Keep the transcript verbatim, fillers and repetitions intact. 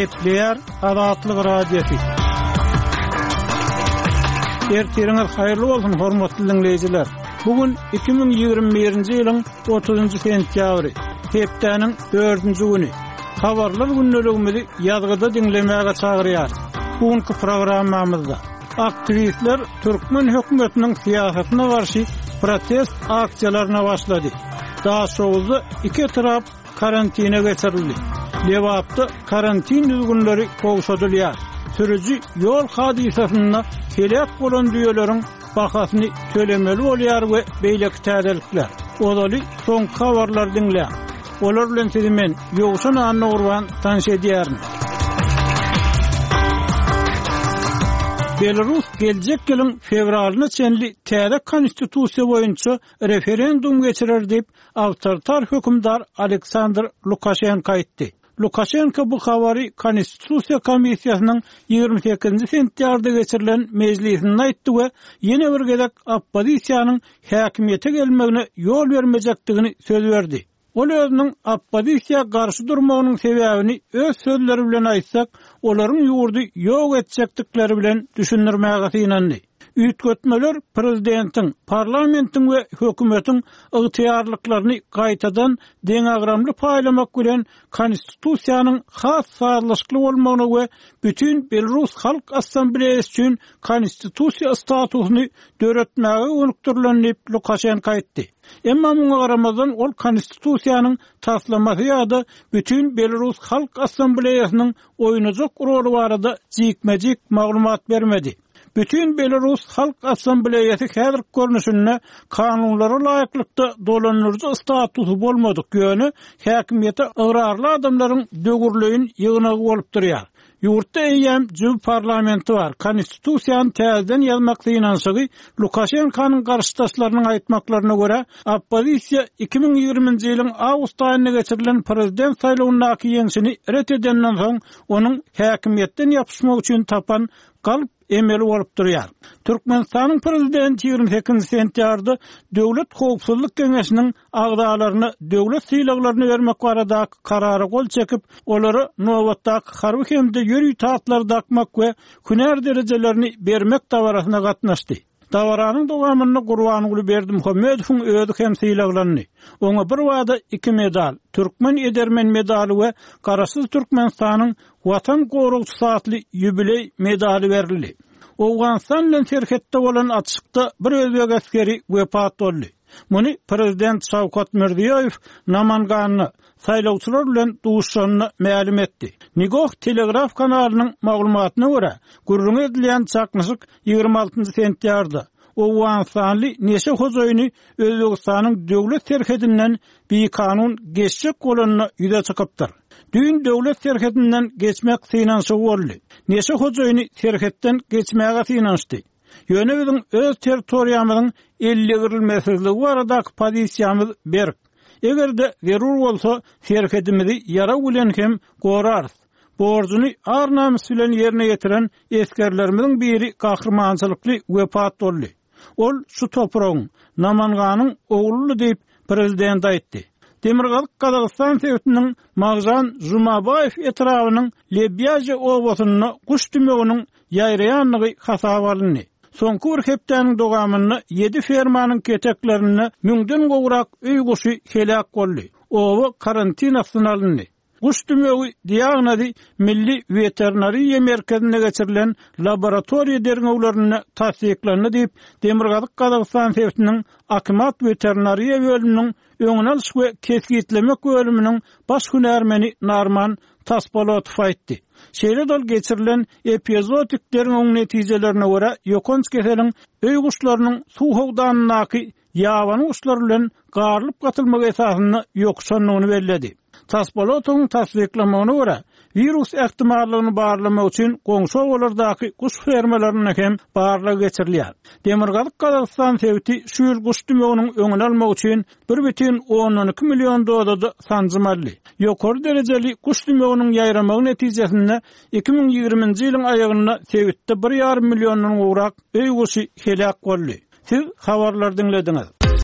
Gepleýär Azatlyk Radiosy. Ertiriňiz haýyrly bolsun, hormatly diňleýjiler. Bu gün iki müň ýigrimi birinji ýylyň otuzynjy sentýabry, hepdäniň dördünji güni. Habarlar gündeligimizi ýazgyda diňlemäge çagyrýarys. Bu günki programmamyzda aktiwistler türkmen hökümetiniň syýasatyna garşy protest aksiýalaryna başlady. Daşoguzda iki etrap karantine geçirildi. Lebapda karantin düzgünleri gowşadylýar. Sürüji ýol hadysasynda heläk bolan düýeleriň bahasyny tölemeli bolýar we beýleki täzelikler. Ozaly soňky habarlary diňläň. Olar bilen sizi men Ýowşan Annagurban tanyş edýärin. Belarus geljek ýylyň fewralyna çenli täze konstitusiýa boýunça referendum geçirer diýip, awtoritar hökümdar Aleksandr Lukaşenko aýtdy. Lukaşenko bu habary Konstitusiýa komissiýasynyň ýigrimi sekizinji sentýabrda geçirilen mejlisinde aýtdy we ýene bir gezek oppozisiýanyň häkimiýete gelmegine ýol bermejekdigini söz berdi. Ol özüniň oppozisiýa garşy durmagynyň sebäbini öz sözleri bilen aýtsak, olaryň ýurdy ýok etjekdikleri bilen düşündirmäge synandy. Üýtgetmeler prezidentiň, parlamentiň we hökümetiň ygtyýarlyklaryny gaýtadan deňagramly paýlamak bilen konstitusiýanyň has sazlaşykly bolmagyna we bütin Belarus Halk Assambleýasy üçin konstitusiýa statusyny döretmäge gönükdirilen diýip Lukaşenko aýtdy. Emma muňa garamazdan ol konstitusiýanyň taslamasy ýa-da bütin Belarus Halk Assambleýasynyň oýnajak roly barada jikme-jik maglumat bermedi. Bütin Belarus Halk Assambleýasy häzirki görnüşinde kanunlara laýyklykda dolandyryjy statusy bolmadyk, ýöne häkimiýete ygrarly adamlaryň döwürleýin ýygnagy bolup durýar. Ýurtda eýýäm jübi parlamenti bar. Konstitusiýany täzeden ýazmak synanyşygy Lukaşenkonyň garşydaşlarynyň aýtmaklaryna görä, oppozisiýa iki müň ýigriminji ýylyň awgust aýynda geçirilen prezident saýlawyndaky ýeňşini ret edenden soň, onuň häkimiýetden ýapyşmak üçin tapan galp emeli bolup durýar. Türkmenistanyň prezidenti ýigrimi sekizinji sentýabrda Döwlet howpsuzlyk geňeşiniň agzalaryna döwlet sylaglaryny bermek baradaky karara gol çekip, olara nobatdaky harby hem-de ýörite atlary dakmak we hünär derejelerini bermek dabarasyna gatnaşdy. Dabaranyň dowamynda Gurbanguly Berdimuhamedowyň özi hem sylaglandy. Oňa bir wada iki medal, Türkmen edermen medaly we Garaşsyz Türkmenistanyň Watan goragçysy atly ýubileý medaly berildi. Owganystan bilen serhetde bolan atyşykda bir özbek esgeri wepat boldy. Muny prezident Şawkat Mirziýoýew Namanganda saýlawçylar bilen duşuşanda mälim etdi. Nigoh Telegraf kanalynyň maglumatyna görä, gürrüňi edilýän çaknyşyk ýigrimi altynjy sentýabrda Owganystanly neşe hojaýyny Özbegistanyň döwlet serhedinden bikanun geçjek bolanda ýüze çykypdyr. Düýn döwlet serhedinden geçmek synanyşygy boldy. Neşe hojaýyny serhetden geçmäge synanyşdy. Ýöne biziň öz territoriýamyzyň ellegirilmesizligi baradaky pozisiýamyz berk. Eger-de zerur bolsa, serhedimizi ýarag bilen hem gorarys. Borjuny ar-namys bilen ýerine ýetiren esgerlerimiziň biri gahrymançylykly wepat boldy. Ol şu topragyň, Namanganyň ogludy diýip, prezident aýtdy. Demirgazyk Gazagystan sebitiniň Magžan Žumabaýew etrabynyň Lebýaže obasynda guş dümewiniň ýaýraýandygy hasaba alyndy. Soňky bir hepdäniň dowamynda ýedi fermanyň keteklerinde müňden gowrak öý guşy heläk boldy. Oba karantin astyna alyndy. Guş dümewi diagnozy Milli weterinariýa merkezinde geçirilen laboratoriýa derňewlerinde tassyklandy diýip, Demirgazyk Gazagystan sebitiniň Akimat weterinariýa bölüminiň öňüni alyş we kesgitlemek bölüminiň baş hünärmeni Narman Taspolotow aýtdy. Şeýle-de ol geçirilen epizootik derňewiň netijelerine görä, ýokanç keseliň öý guşlarynyň suw howdanyndaky ýabany guşlar bilen garylyp gatylmagy esasynda ýokuşandygyny belledi. Taspolotowyň tassyklamagyna görä, wirus ähtimallygyny barlamak üçin goňşy obalardaky guş fermalarynda hem barlag geçirilýär. Demirgazyk Gazagystan sebiti şu ýyl guş dümewiniň öňüni almak üçin bir bütin ondan iki million dozada sanjym aldy. Ýokary derejeli guş dümewiniň ýaýramagy netijesinde iki müň ýigriminji ýylyň aýagynda sebitde bir ýarym milliondan gowrak öý guşy heläk boldy. Siz habarlary diňlediňiz.